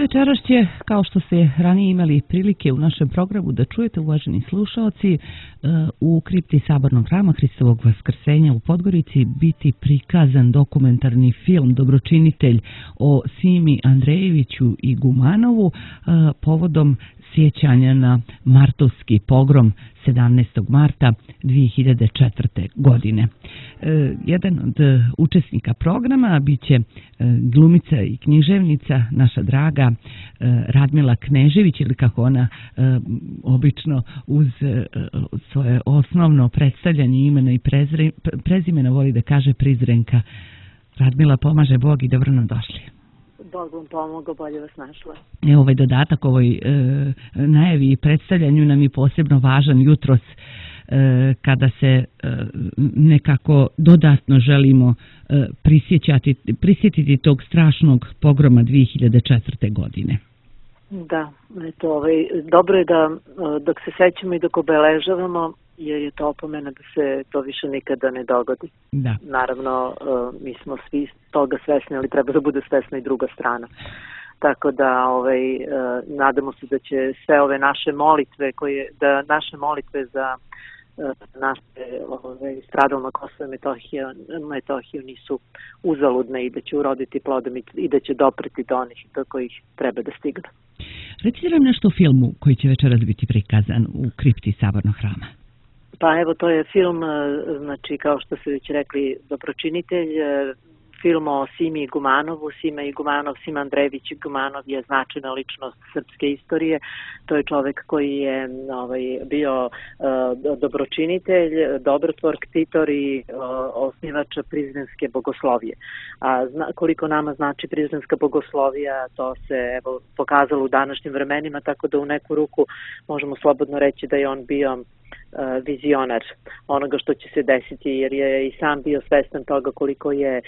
Večeras će, kao što ste ranije imali prilike u našem programu da čujete, uvaženi slušaoci, u kripti Sabornog hrama Hristovog Vaskrsenja u Podgorici biti prikazan dokumentarni film Dobročinitelj o Simi Andrejeviću i Gumanovu povodom sjećanja na martovski pogrom 17. marta 2004. godine. Jedan od učesnika programa biće glumica i književnica, naša draga Radmila Knežević, ili kako ona obično uz svoje osnovno predstavljanje imena i prezimena voli da kaže Prizrenka. Radmila, pomaže Bog i dobro nam došli. Bog vam pomogao, bolje vas našla. Ovaj dodatak ovoj najavi i predstavljanju nam je posebno važan jutros kada se nekako dodatno želimo prisjetiti tog strašnog pogroma 2004. godine. Da, eto, dobro je da dok se sećamo i dok obeležavamo, jer je to opomena da se to više nikada ne dogodi. Da. Naravno, mi smo svi toga svesni, ali treba da bude svesna i druga strana. Tako da nadamo se da će sve ove naše molitve, naše molitve za naše stradalno na Kosovo i Metohiju nisu uzaludne i da će uroditi plodom i da će dopreti do onih do kojih treba da stignu. Recite nam nešto o filmu koji će večeras biti prikazan u kripti Sabornog hrama. Pa evo, to je film, znači kao što ste već rekli, Dobročinitelj, film o Simi i Gumanovu. Sima Andrejević i Gumanov je značajna ličnost srpske istorije. To je čovek koji je bio dobročinitelj, dobrotvor, ktitor i osnivač Prizrenske bogoslovije. A koliko nama znači Prizrenska bogoslovija, to se pokazalo u današnjim vremenima, tako da u neku ruku možemo slobodno reći da je on bio vizionar onoga što će se desiti, jer je i sam bio svestan toga koliko je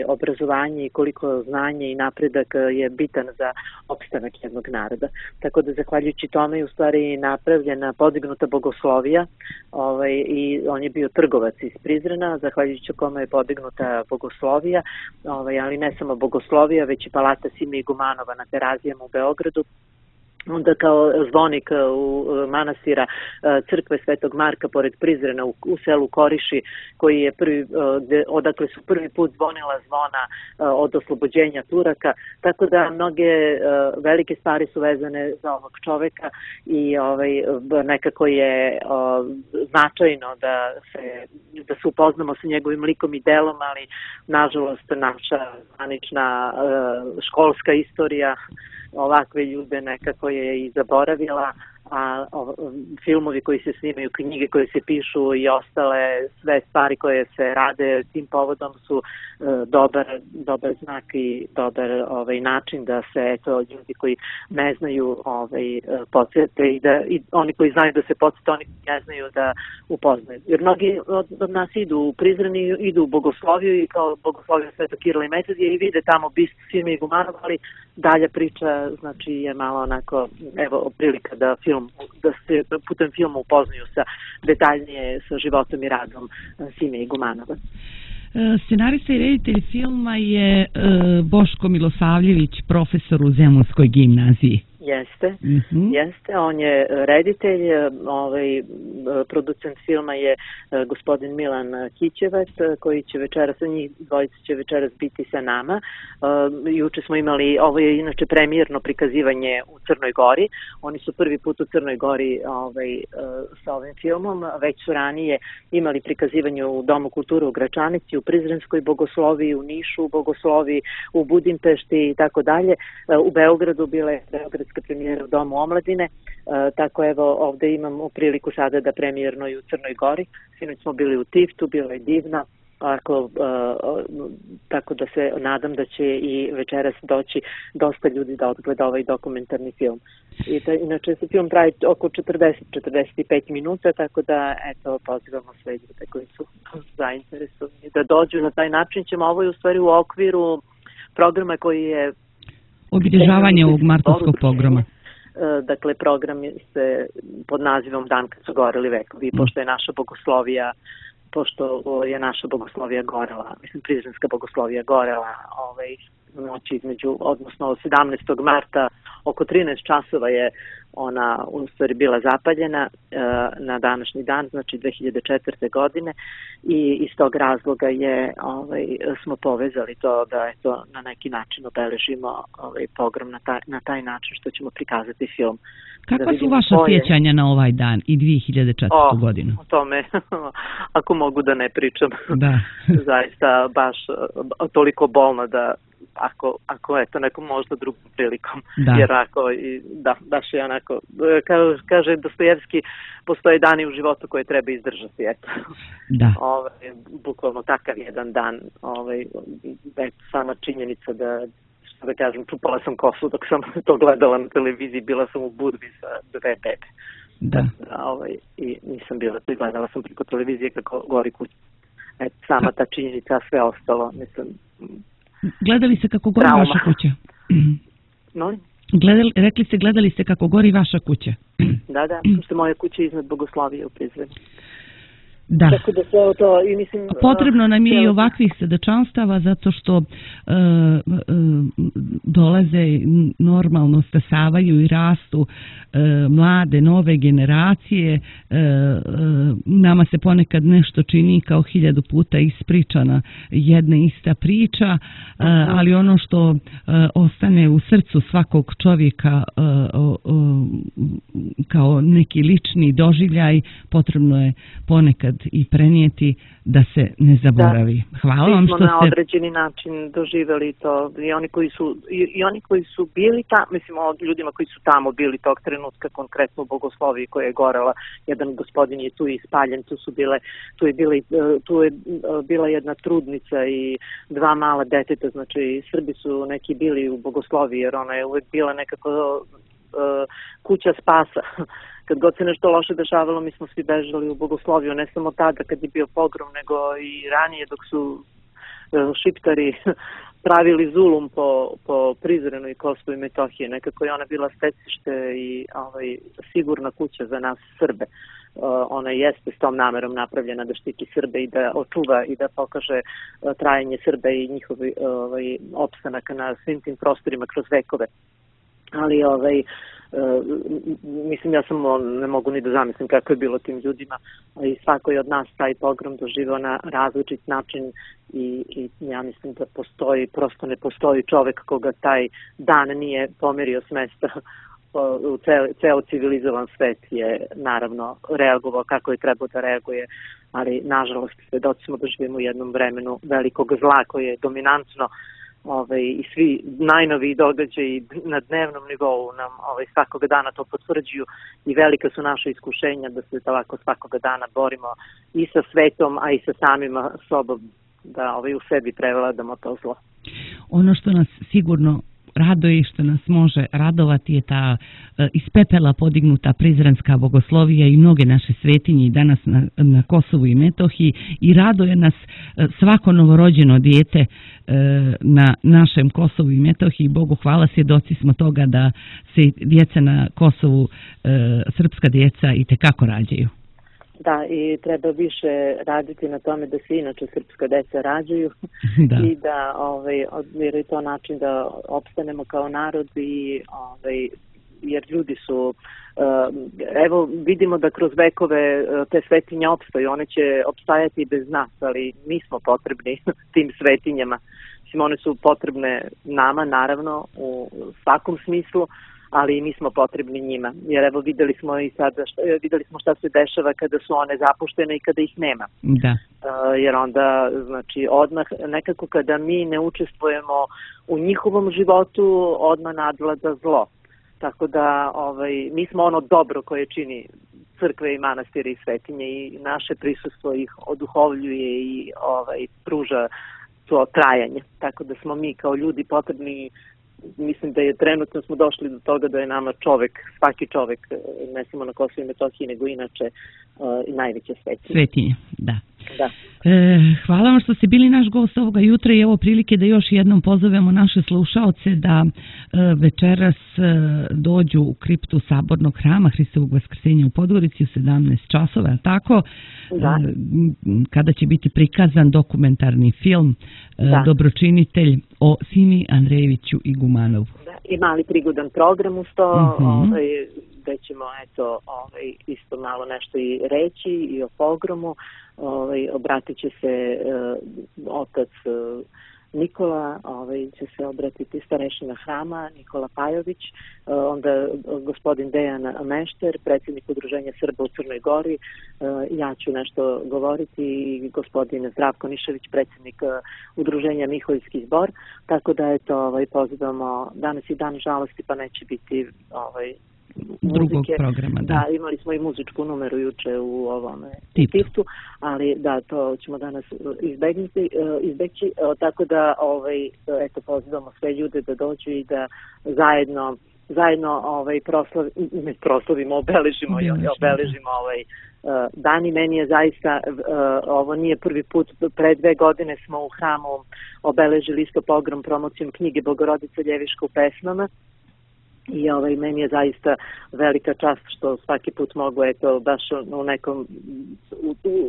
obrazovanje i koliko znanje i napredak je bitan za opstanak jednog naroda. Tako da zahvaljujući tome je u stvari napravljena, podignuta bogoslovija i on je bio trgovac iz Prizrena, zahvaljujući kome je podignuta bogoslovija, ali ne samo bogoslovija, već i palata Sime i Gumanova na Terazijama u Beogradu. Onda kao zvonik u manastira crkve Svetog Marka pored Prizrena u selu Koriši, koji je odakle su prvi put zvonila zvona od oslobođenja Turaka, tako da mnoge velike stvari su vezane za ovog čoveka i nekako je značajno da se upoznamo sa njegovim likom i delom, ali nažalost naša zvanična školska istorija ovakve ljude nekako je i zaboravila, a filmovi koji se snimaju, knjige koje se pišu i ostale sve stvari koje se rade tim povodom su dobar znak i dobar način da se ljudi koji ne znaju podsjete i oni koji znaju da se podsjete, oni koji ne znaju da upoznaju. Jer mnogi od nas idu u Prizren i idu u bogosloviju i kao bogosloviju Svetog Kirila i Metodija i vide tamo bistu Sime i Gumanova, ali dalja priča znači je malo onako, evo prilika da se putem filma upoznaju detaljnije sa životom i radom Sime i Gumanova. Scenarista i reditelj filma je Boško Milosavljević, profesor u Zemunskoj gimnaziji. Jeste, on je reditelj, producent filma je gospodin Milan Kićevac, koji će večeras, njih dvojica će večeras biti sa nama. Juče smo imali, ovo je inače premijerno prikazivanje u Crnoj Gori, oni su prvi put u Crnoj Gori sa ovim filmom, već su ranije imali prikazivanje u Domu kulture u Gračanici, u Prizrenskoj bogosloviji, u Nišu u bogosloviji, u Budimpešti i tako dalje. U Beogradu bila je beogradska premijera u Domu omladine, tako evo ovde imamo priliku sada da premijerno i u Crnoj Gori. Sinoć smo bili u Tiftu, bilo je divno, tako da se nadam da će i večeras doći dosta ljudi da odgleda ovaj dokumentarni film. Inače se film traje oko 40-45 minuta, tako da eto pozivamo sve ljude koji su zainteresovani da dođu. Na taj način ćemo, ovo je u stvari u okviru programa koji je obilježavanje ovog martovskog pogroma. Dakle, program se pod nazivom Dan kad su goreli vekovi, pošto je naša bogoslovija gorela, mislim Prizrenska bogoslovija gorela noći odnosno 17. marta oko 13 časova je ona u stvari bila zapaljena na današnji dan, znači 2004. godine i iz tog razloga smo povezali to da eto na neki način obeležimo pogrom na taj način što ćemo prikazati film. Kakva su vaša sjećanja na ovaj dan i 2004. godinu? O tome, ako mogu da ne pričam, da. Zaista baš toliko bolno da ako eto nekom možda drugom prilikom, jer baš je onako, kaže Dostojevski, postoje dani u životu koje treba izdržati, eto. Da. Bukvalno takav jedan dan, sama činjenica da kažem, čupala sam kosu dok sam to gledala na televiziji, bila sam u Budvi sa 2 bebe. Da. I nisam bila tu i gledala sam preko televizije kako gori kuća. Sama ta činjenica, sve ostalo, mislim... Gledali ste kako gori vaša kuća? No? Rekli ste, gledali ste kako gori vaša kuća? Da, što moja kuća iznad Bogoslovije u Prizrenu. Da. Tako da sve to, i mislim... Potrebno nam je i ovakvih svedočanstava zato što dolaze, normalno stasavaju i rastu mlade, nove generacije. Nama se ponekad nešto čini kao 1000 puta ispričana jedna ista priča, ali ono što ostane u srcu svakog čovjeka kao neki lični doživljaj, potrebno je ponekad i prenijeti da se ne zaboravi. Hvala vam što ste... Mi smo na određeni način doživjeli to i oni koji su bili tamo, mislim o ljudima koji su tamo bili tog trenutka, konkretno u Bogosloviji koja je gorela, jedan gospodin je tu ispaljen, tu je bila jedna trudnica i 2 mala deteta, znači Srbi su neki bili u Bogosloviji jer ona je uvek bila nekako kuća spasa. Kad god se nešto loše dešavalo, mi smo svi bežali u Bogosloviju, ne samo tada kad je bio pogrom, nego i ranije dok su Šiptari pravili zulum po Prizrenu i Kosovu i Metohiji. Nekako je ona bila stecište i sigurna kuća za nas Srbe. Ona jeste s tom namerom napravljena da štiti Srbe i da očuva i da pokaže trajanje Srbe i njihovi opstanak na svim tim prostorima kroz vekove. Ali mislim, ja samo ne mogu ni da zamislim kako je bilo tim ljudima i svako je od nas taj pogrom doživao na različit način i ja mislim da prosto ne postoji čovek koga taj dan nije pomerio s mesta. Ceo civilizovan svet je naravno reagovao kako je trebao da reaguje, ali nažalost svedoci smo da živimo u jednom vremenu velikog zla koje je dominantno i svi najnoviji događaji na dnevnom nivou nam svakog dana to potvrđuju i velika su naša iskušenja da se ovako svakoga dana borimo i sa svetom, a i sa samima sobom, da u sebi prevladamo to zlo. Ono što nas sigurno raduje i što nas može radovati je ta iz pepela podignuta Prizrenska bogoslovija i mnoge naše svetinje i danas na Kosovu i Metohiji i raduje nas svako novorođeno dijete na našem Kosovu i Metohiji. Bogu hvala, svjedoci smo toga da se djeca na Kosovu, srpska djeca, i tekako rađaju. Da, i treba više raditi na tome da se inače srpska deca rađaju i da jer je to način da opstanemo kao narod i jer ljudi su evo vidimo da kroz vekove te svetinje opstaju, one će opstajati i bez nas, ali mi smo potrebni tim svetinjama. Mislim, one su potrebne nama naravno u svakom smislu, ali i mi smo potrebni njima. Jer evo videli smo i sada šta se dešava kada su one zapuštene i kada ih nema. Da. Jer onda znači odmah nekako kada mi ne učestvujemo u njihovom životu, odmah nadvlada zlo. Tako da mi smo ono dobro koje čini crkve i manastire i svetinje i naše prisustvo ih oduhovljuje i pruža to trajanje. Tako da smo mi kao ljudi potrebni. Mislim da je trenutno smo došli do toga da je nama čovek, svaki čovek, ne samo na Kosovu i Metohiji, nego inače i najveće svetinje. Svetinje, da. Da. Hvala vam što ste bili naš gost ovoga jutra i evo prilike da još jednom pozovemo naše slušaoce da večeras dođu u kriptu Sabornog hrama Hristovog Vaskrsenja u Podgorici u 17 časova, tako? Da. Kada će biti prikazan dokumentarni film Dobročinitelj o Simi Andrejeviću Igumanovu. Da, i mali prigodan program uz to, gde ćemo isto malo nešto i reći i o pogromu. Obratit će se otac Nikola, će se obratiti starešina hrama Nikola Pajović, onda gospodin Dejan Mešter, predsjednik Udruženja Srba u Crnoj Gori, ja ću nešto govoriti i gospodin Zdravko Nišević, predsjednik Udruženja Miholjski zbor, tako da pozivamo, danas je dan žalosti pa neće biti drugog programa, da, imali smo i muzičku numeru juče u ovom tiptu, ali da, to ćemo danas izbeći, tako da pozivamo sve ljude da dođu i da zajedno proslavimo, obeležimo dan. I meni je zaista, ovo nije prvi put, pre 2 godine smo u hramu obeležili isto pogrom promocijom knjige Bogorodica Ljeviška u pesmama. I meni je zaista velika čast što svaki put mogu, baš u nekom,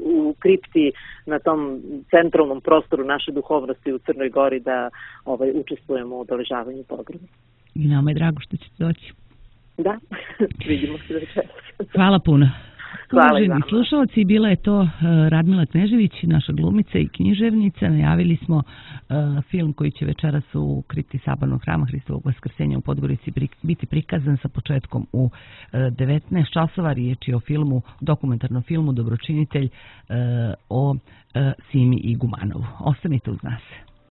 u kripti na tom centralnom prostoru naše duhovnosti u Crnoj Gori da učestvujemo u obeležavanju pogroma. I nama je drago što ćete doći. Da, vidimo se večeras. Hvala puno. Hvala Uvaženi slušalci, bila je to Radmila Knežević, naša glumica i književnica. Najavili smo film koji će večeras u kripti Sabornog hrama Hristovog Vaskrsenja u Podgorici biti prikazan sa početkom u 19 časova. Riječ je o dokumentarnom filmu Dobročinitelj o Simi Igumanovu. Ostanite uz nas.